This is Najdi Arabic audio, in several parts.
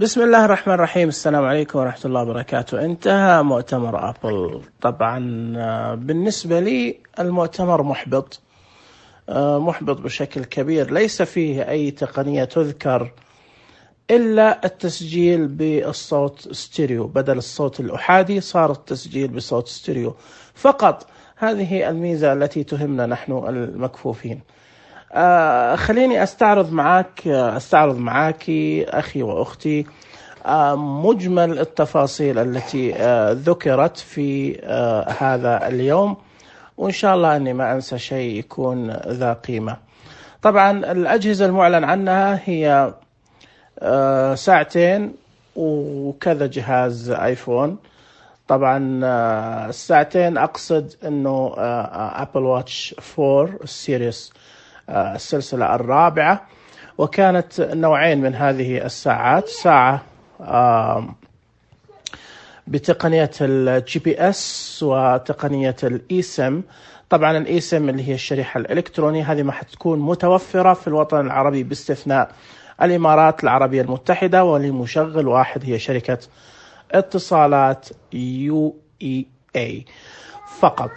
بسم الله الرحمن الرحيم. السلام عليكم ورحمة الله وبركاته. انتهى مؤتمر أبل. طبعا بالنسبة لي المؤتمر محبط بشكل كبير. ليس فيه أي تقنية تذكر إلا التسجيل بالصوت ستيريو، بدل الصوت الأحادي صار التسجيل بصوت ستيريو فقط. هذه الميزة التي تهمنا نحن المكفوفين. خليني أستعرض معك أخي وأختي مجمل التفاصيل التي ذكرت في هذا اليوم، وإن شاء الله أني ما أنسى شيء يكون ذا قيمة. طبعا الأجهزة المعلن عنها هي ساعتين وكذا جهاز آيفون. طبعا الساعتين أقصد أنه أبل واتش 4 السيريس السلسلة الرابعة، وكانت نوعين من هذه الساعات، ساعة بتقنية الجي بي اس وتقنية الإيسم. طبعا الإيسم اللي هي الشريحة الإلكترونية، هذه ما حتكون متوفرة في الوطن العربي باستثناء الإمارات العربية المتحدة، ولمشغل واحد هي شركة اتصالات UEA فقط،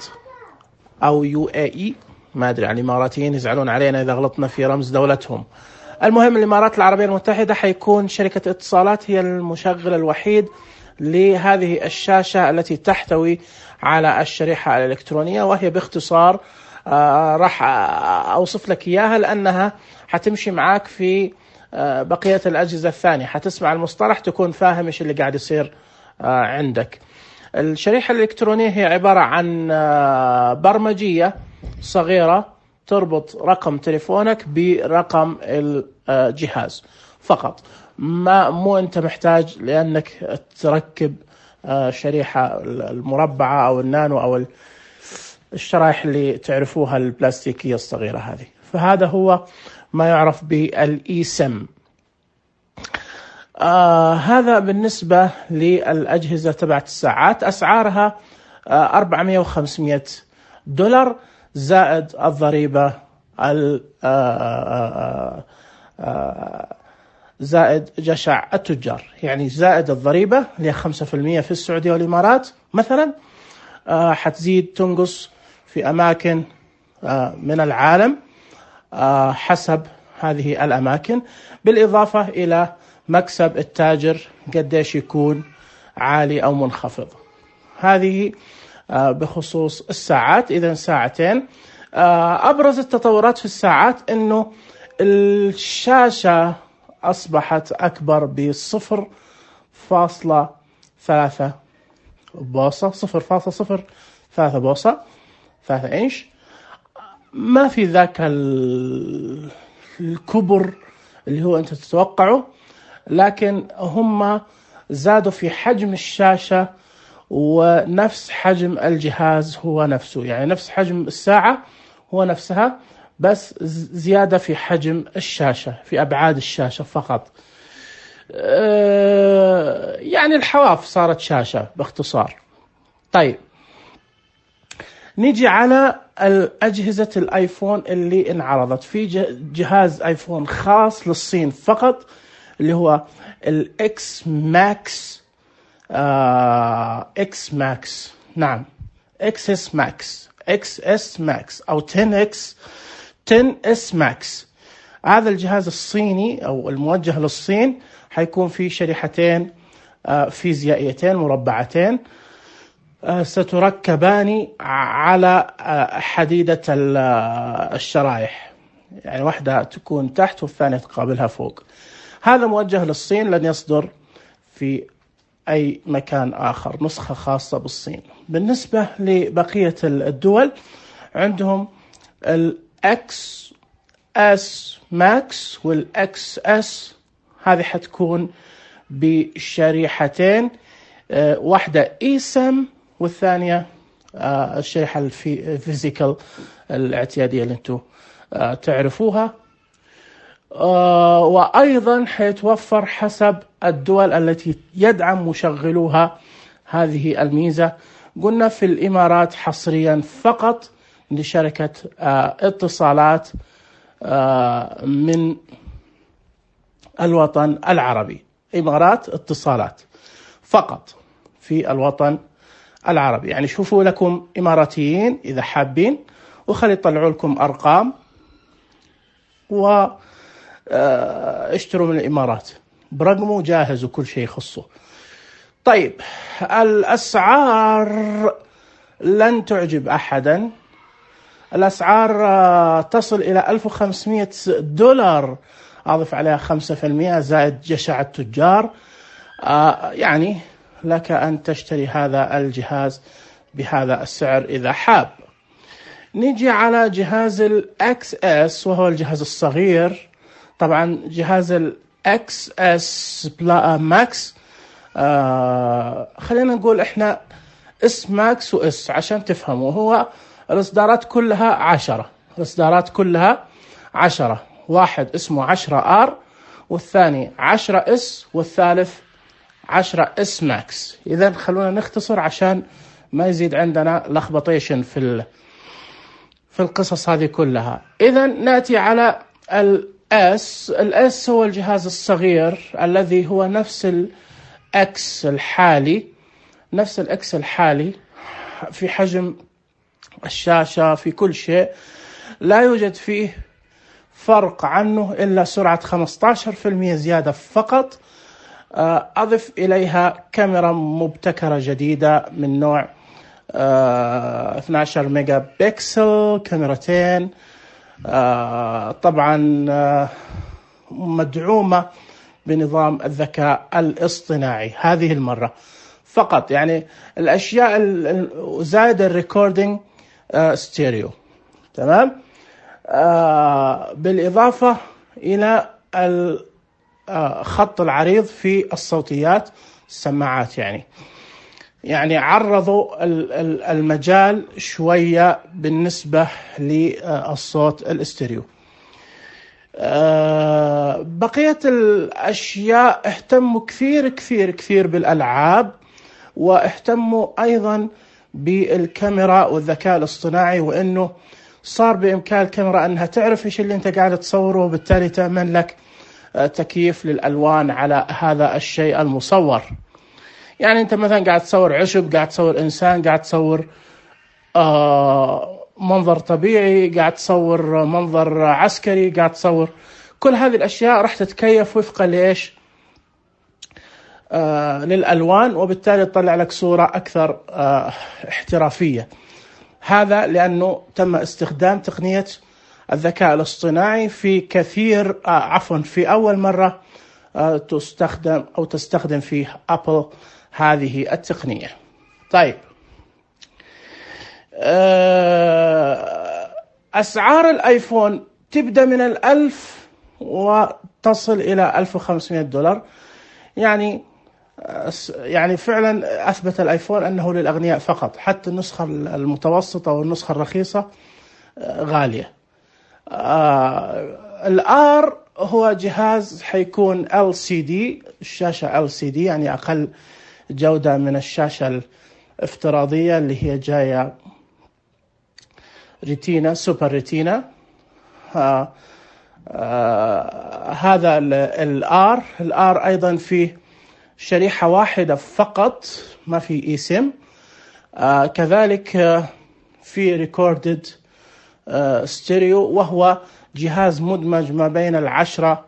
أو UAE، ما أدري عن الإماراتيين يزعلون علينا إذا غلطنا في رمز دولتهم. المهم الإمارات العربية المتحدة حيكون شركة اتصالات هي المشغل الوحيد لهذه الشاشة التي تحتوي على الشريحة الإلكترونية، وهي باختصار راح أوصف لك إياها لأنها حتمشي معاك في بقية الأجهزة الثانية. حتسمع المصطلح تكون فاهم إيش اللي قاعد يصير عندك. الشريحة الإلكترونية هي عبارة عن برمجية صغيرة تربط رقم تليفونك برقم الجهاز فقط. مو أنت محتاج لأنك تركب شريحة المربعة أو النانو أو الشرائح اللي تعرفوها البلاستيكية الصغيرة هذه. فهذا هو ما يعرف بالإيسم. هذا بالنسبة للأجهزة تبعت الساعات. أسعارها $400 و$500 زائد الضريبة زائد جشع التجار، يعني زائد الضريبة اللي 5% في السعودية والإمارات مثلا. حتزيد تنقص في أماكن من العالم حسب هذه الأماكن، بالإضافة إلى مكسب التاجر قديش يكون عالي أو منخفض. هذه بخصوص الساعات. إذن ساعتين. أبرز التطورات في الساعات أنه الشاشة أصبحت أكبر ب0.3 بوصة، 0.03 بوصة، 3 إنش. ما في ذاك الكبر اللي هو أنت تتوقعه، لكن هم زادوا في حجم الشاشة ونفس حجم الجهاز هو نفسه، يعني نفس حجم الساعة هو نفسها، بس زيادة في حجم الشاشة، في أبعاد الشاشة فقط. يعني الحواف صارت شاشة باختصار. طيب نيجي على الأجهزة الآيفون اللي انعرضت. في جهاز آيفون خاص للصين فقط اللي هو الإكس ماكس، إكس ماكس، نعم إكس ماكس، XS ماكس أو 10S ماكس. هذا الجهاز الصيني أو الموجه للصين حيكون فيه شريحتين فيزيائيتين مربعتين ستركبان على حديدة الشرائح، يعني واحدة تكون تحت والثانية تقابلها فوق. هذا موجه للصين، لن يصدر في أي مكان آخر، نسخة خاصة بالصين. بالنسبة لبقية الدول عندهم الXS Max والXS، هذه حتكون بشريحتين، واحدة إيسم والثانية الشريحة الفيزيكال الاعتيادية اللي انتم تعرفوها. وأيضا حيتوفر حسب الدول التي يدعم مشغلوها هذه الميزة. قلنا في الإمارات حصريا فقط لشركة اتصالات من الوطن العربي. إمارات اتصالات فقط في الوطن العربي. يعني شوفوا لكم إماراتيين إذا حابين، وخلي يطلعوا لكم أرقام واشتروا من الإمارات برقمه جاهز وكل شيء يخصه. طيب الأسعار لن تعجب أحدا. الأسعار تصل إلى $1500، أضف عليها 5% زائد جشع التجار. يعني لك أن تشتري هذا الجهاز بهذا السعر إذا حاب. نيجي على جهاز XS وهو الجهاز الصغير. طبعا جهاز XS ماكس، خلينا نقول إحنا اس ماكس واس عشان تفهموا. هو الإصدارات كلها 10، الإصدارات كلها 10. واحد اسمه 10R، والثاني 10S، والثالث 10S ماكس. إذا خلونا نختصر عشان ما يزيد عندنا لخبطيشن في القصص هذه كلها. إذا نأتي على الS هو الجهاز الصغير الذي هو نفس الX الحالي، نفس الإكس الحالي في حجم الشاشة، في كل شيء، لا يوجد فيه فرق عنه إلا سرعة 15% زيادة فقط. أضف إليها كاميرا مبتكرة جديدة من نوع 12 ميجا بكسل، كاميرتين طبعا مدعومة بنظام الذكاء الاصطناعي هذه المرة فقط. يعني الأشياء زائد الريكوردينج ستيريو، تمام. بالإضافة إلى الخط العريض في الصوتيات، السماعات. يعني عرضوا المجال شوية بالنسبة للصوت الاستيريو. بقية الأشياء اهتموا كثير كثير كثير بالألعاب، واهتموا أيضا بالكاميرا والذكاء الاصطناعي، وأنه صار بإمكان الكاميرا أنها تعرف إيش اللي أنت قاعد تصوره، وبالتالي تعمل لك تكييف للألوان على هذا الشيء المصور. يعني أنت مثلا قاعد تصور عشب، قاعد تصور إنسان، قاعد تصور منظر طبيعي، قاعد تصور منظر عسكري، قاعد تصور، كل هذه الأشياء راح تتكيف وفقا لإيش؟ للألوان، وبالتالي تطلع لك صورة أكثر احترافية. هذا لأنه تم استخدام تقنية الذكاء الاصطناعي في كثير في أول مرة تستخدم فيه أبل هذه التقنية. طيب أسعار الآيفون تبدأ من 1000 وتصل إلى $1500. يعني فعلا أثبت الآيفون أنه للأغنياء فقط، حتى النسخة المتوسطة والنسخة الرخيصة غالية. الآر هو جهاز حيكون LCD، الشاشة LCD، يعني أقل جودة من الشاشة الافتراضية اللي هي جاية ريتينا، سوبر ريتينا. هذا الآر أيضا فيه شريحة واحدة فقط، ما في اي سيم. كذلك في ريكوردد ستيريو، وهو جهاز مدمج ما بين 10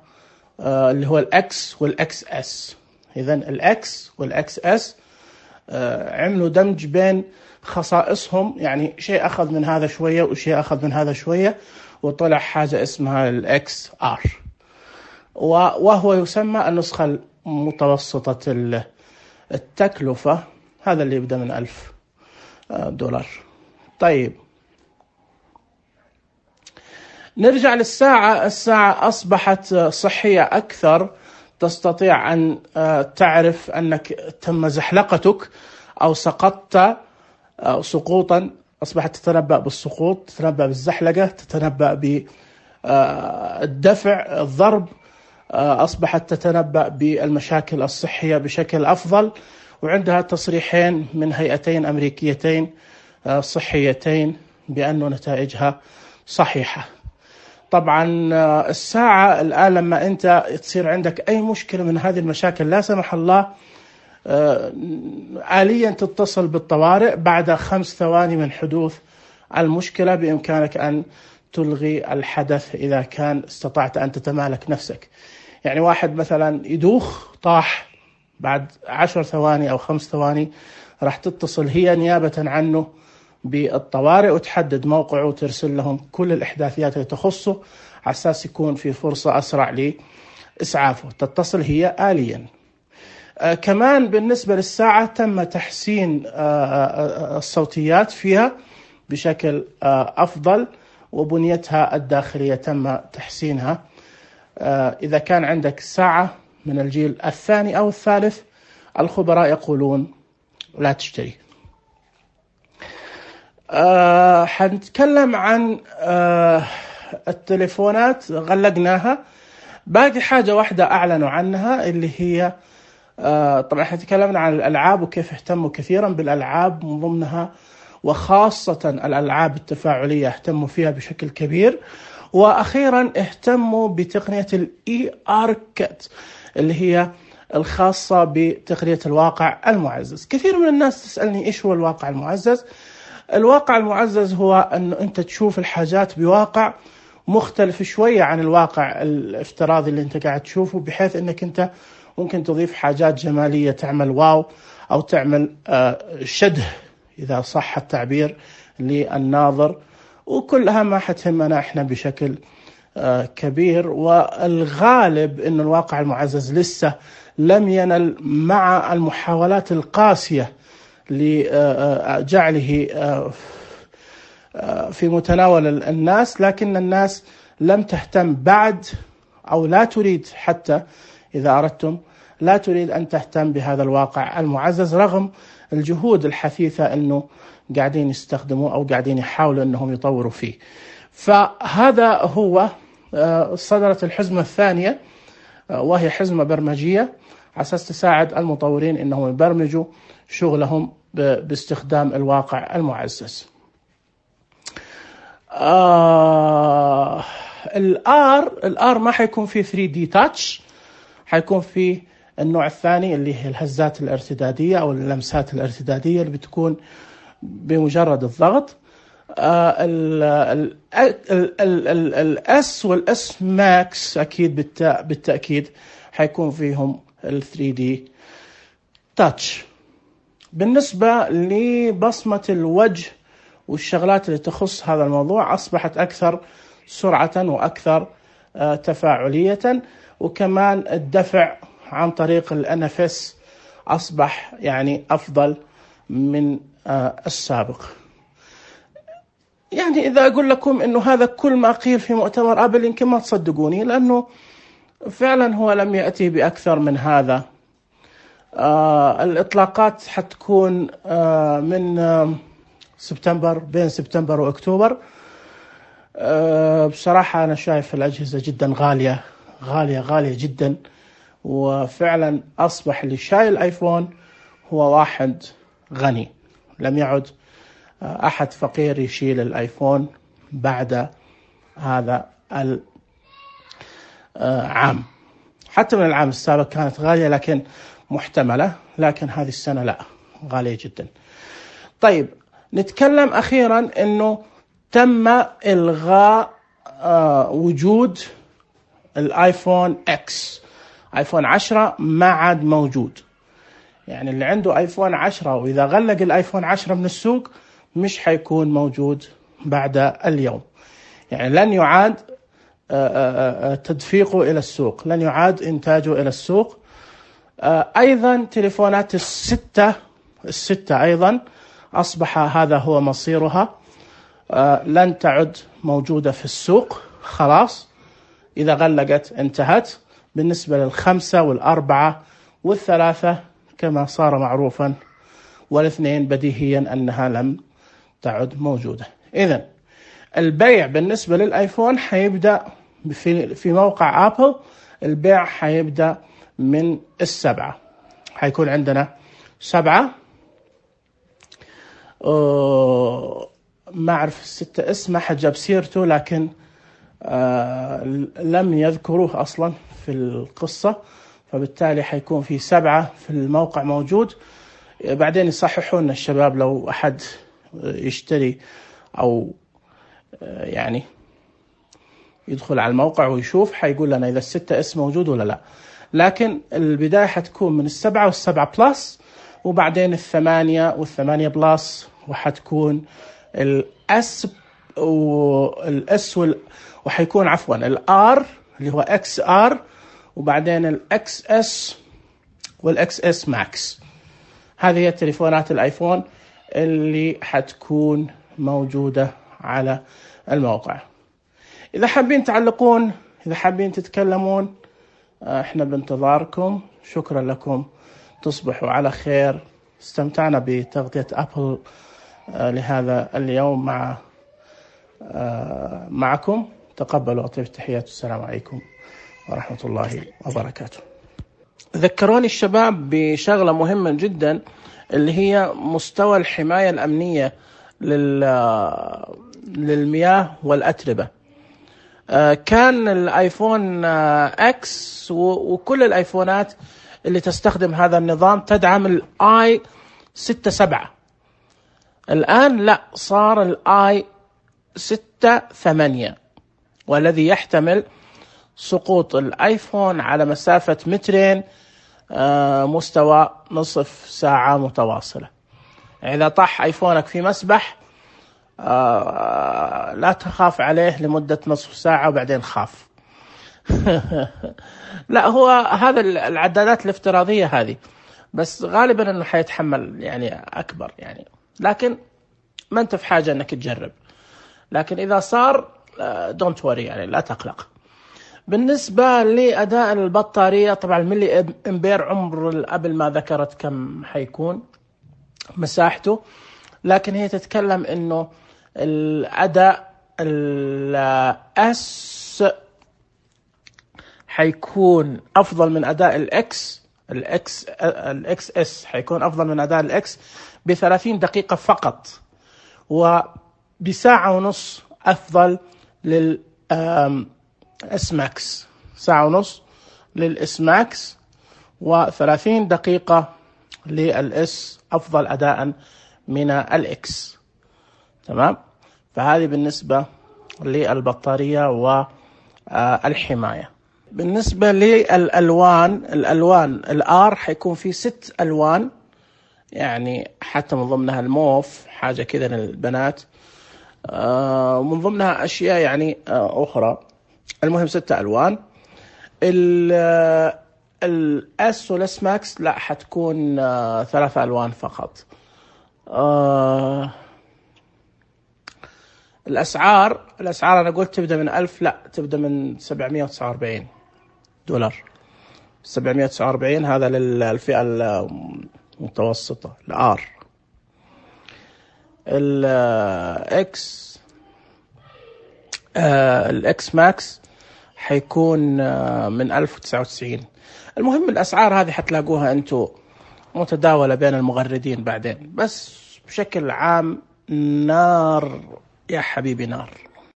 اللي هو الأكس والأكس اس. إذن الأكس والأكس اس عملوا دمج بين خصائصهم، يعني شيء أخذ من هذا شوية وشيء أخذ من هذا شوية، وطلع حاجة اسمها الأكس آر، وهو يسمى النسخة متوسطة التكلفة. هذا اللي يبدأ من $1000. طيب نرجع للساعة. الساعة أصبحت صحية أكثر، تستطيع أن تعرف أنك تم زحلقتك أو سقطت سقوطا، أصبحت تتنبأ بالسقوط، تتنبأ بالزحلقة، تتنبأ بالدفع، الضرب، أصبحت تتنبأ بالمشاكل الصحية بشكل أفضل، وعندها تصريحين من هيئتين أمريكيتين صحيتين بأن نتائجها صحيحة. طبعا الساعة الآن لما أنت تصير عندك أي مشكلة من هذه المشاكل لا سمح الله، آليا تتصل بالطوارئ بعد 5 ثواني من حدوث المشكلة، بإمكانك أن تلغي الحدث إذا كان استطعت أن تتمالك نفسك. يعني واحد مثلا يدوخ طاح، بعد 10 ثواني أو 5 ثواني راح تتصل هي نيابة عنه بالطوارئ وتحدد موقعه وترسل لهم كل الإحداثيات اللي تخصه على أساس يكون في فرصة أسرع لإسعافه. تتصل هي آليا. كمان بالنسبة للساعة تم تحسين الصوتيات فيها بشكل أفضل، وبنيتها الداخلية تم تحسينها. إذا كان عندك ساعة من الجيل الثاني أو الثالث الخبراء يقولون لا تشتري. حنتكلم عن التليفونات غلقناها، باقي حاجة واحدة أعلنوا عنها اللي هي طبعا احنا تكلمنا عن الألعاب وكيف اهتموا كثيرا بالألعاب، من ضمنها وخاصة الألعاب التفاعلية اهتموا فيها بشكل كبير. وأخيرا اهتموا بتقنية الER Kit اللي هي الخاصة بتقنية الواقع المعزز. كثير من الناس تسألني إيش هو الواقع المعزز؟ الواقع المعزز هو أنه أنت تشوف الحاجات بواقع مختلف شوية عن الواقع الافتراضي اللي أنت قاعد تشوفه، بحيث أنك أنت ممكن تضيف حاجات جمالية تعمل واو أو تعمل شده إذا صح التعبير للناظر، وكلها ما حتهمنا إحنا بشكل كبير. والغالب أن الواقع المعزز لسه لم ينل مع المحاولات القاسية لجعله في متناول الناس، لكن الناس لم تهتم بعد أو لا تريد، حتى إذا أردتم لا تريد أن تهتم بهذا الواقع المعزز رغم الجهود الحثيثة أنه قاعدين يستخدموا أو قاعدين يحاولوا أنهم يطوروا فيه. فهذا هو صدرت الحزمة الثانية، وهي حزمة برمجية على أساس تساعد المطورين أنهم يبرمجوا شغلهم باستخدام الواقع المعزز. الآر ما حيكون فيه 3D تاتش، حيكون فيه النوع الثاني اللي هي الهزات الارتدادية أو اللمسات الارتدادية اللي بتكون بمجرد الضغط. الاس والاس ماكس أكيد بالتأكيد حيكون فيهم ال 3D تاتش. بالنسبة لبصمة الوجه والشغلات اللي تخص هذا الموضوع أصبحت أكثر سرعة وأكثر تفاعلية، وكمان الدفع عن طريق الNFS أصبح يعني أفضل من السابق. يعني إذا أقول لكم إنه هذا كل ما قيل في مؤتمر أبل يمكن ما تصدقوني، لأنه فعلا هو لم يأتي بأكثر من هذا. الإطلاقات حتكون من سبتمبر، بين سبتمبر وأكتوبر. بصراحة أنا شايف الأجهزة جدا غالية جدا، وفعلا أصبح اللي شايل الآيفون هو واحد غني، لم يعد أحد فقير يشيل الآيفون بعد هذا العام. حتى من العام السابق كانت غالية لكن محتملة، لكن هذه السنة لا، غالية جدا. طيب نتكلم أخيرا أنه تم إلغاء وجود الآيفون إكس. آيفون 10 ما عاد موجود. يعني اللي عنده آيفون 10 وإذا غلق الآيفون 10 من السوق مش حيكون موجود بعد اليوم. يعني لن يعاد تدفيقه إلى السوق، لن يعاد إنتاجه إلى السوق. أيضا تليفونات الستة أيضا أصبح هذا هو مصيرها، لن تعد موجودة في السوق خلاص، إذا غلقت انتهت. بالنسبة لل5 وال4 وال3 كما صار معروفا، وال2 بديهيا أنها لم تعد موجودة. إذن البيع بالنسبة للآيفون حيبدأ في موقع آبل، البيع حيبدأ من 7. حيكون عندنا 7. ما أعرف 6 اسمه، حد جاب سيرته، لكن لم يذكروه أصلا في القصة، فبالتالي حيكون في 7 في الموقع موجود. بعدين يصححون الشباب لو أحد يشتري أو يعني يدخل على الموقع ويشوف، حيقول لنا إذا 6S موجود ولا لا. لكن البداية حتكون من 7 والسبعة بلس، وبعدين 8 والثمانية بلس، وحتكون الS والS وحيكون عفوا الR اللي هو XR، وبعدين الXS والXS Max. هذه هي تليفونات الآيفون اللي حتكون موجودة على الموقع. إذا حابين تعلقون، إذا حابين تتكلمون، احنا بانتظاركم. شكرا لكم، تصبحوا على خير. استمتعنا بتغطية أبل لهذا اليوم معكم. تقبلوا أطيب التحيات، والسلام عليكم ورحمة الله وبركاته. ذكروني الشباب بشغلة مهمة جدا، اللي هي مستوى الحماية الأمنية للمياه والأتربة. كان الآيفون X وكل الآيفونات اللي تستخدم هذا النظام تدعم الآي 6-7. الآن لا، صار الآي 6-8، والذي يحتمل سقوط الآيفون على مسافة 2 متر مستوى نصف ساعة متواصلة. إذا طاح آيفونك في مسبح لا تخاف عليه لمدة نصف ساعة وبعدين خاف. لا، هو هذا العدادات الافتراضية هذه، بس غالبا انه حيتحمل يعني اكبر يعني، لكن ما انت في حاجة انك تجرب. لكن اذا صار دونت وري يعني، لا تقلق. بالنسبة لأداء البطارية، طبعا الملي امبير عمر قبل ما ذكرت كم حيكون مساحته، لكن هي تتكلم انه الأداء الأس حيكون أفضل من أداء الإكس اس حيكون أفضل من أداء الإكس ب30 دقيقة فقط، وبساعة ونص أفضل للإس ماكس، ساعة ونص للإس ماكس و30 دقيقة للإس أفضل أداء من الإكس. تمام. فهذه بالنسبة للبطارية والحماية. بالنسبة للألوان الآر حيكون في 6 ألوان، يعني حتى من ضمنها الموف، حاجة كذا للبنات، ومن ضمنها أشياء يعني أخرى. المهم 6 ألوان. الأس والإس ماكس لا، حتكون 3 ألوان فقط. الأسعار أنا قلت تبدأ من 1000، لا تبدأ من $749. 749 هذا للفئة المتوسطة الآر. الإكس ماكس حيكون من 1099. المهم الأسعار هذه حتلاقوها أنتوا متداولة بين المغردين بعدين، بس بشكل عام نار يا حبيبي، نار.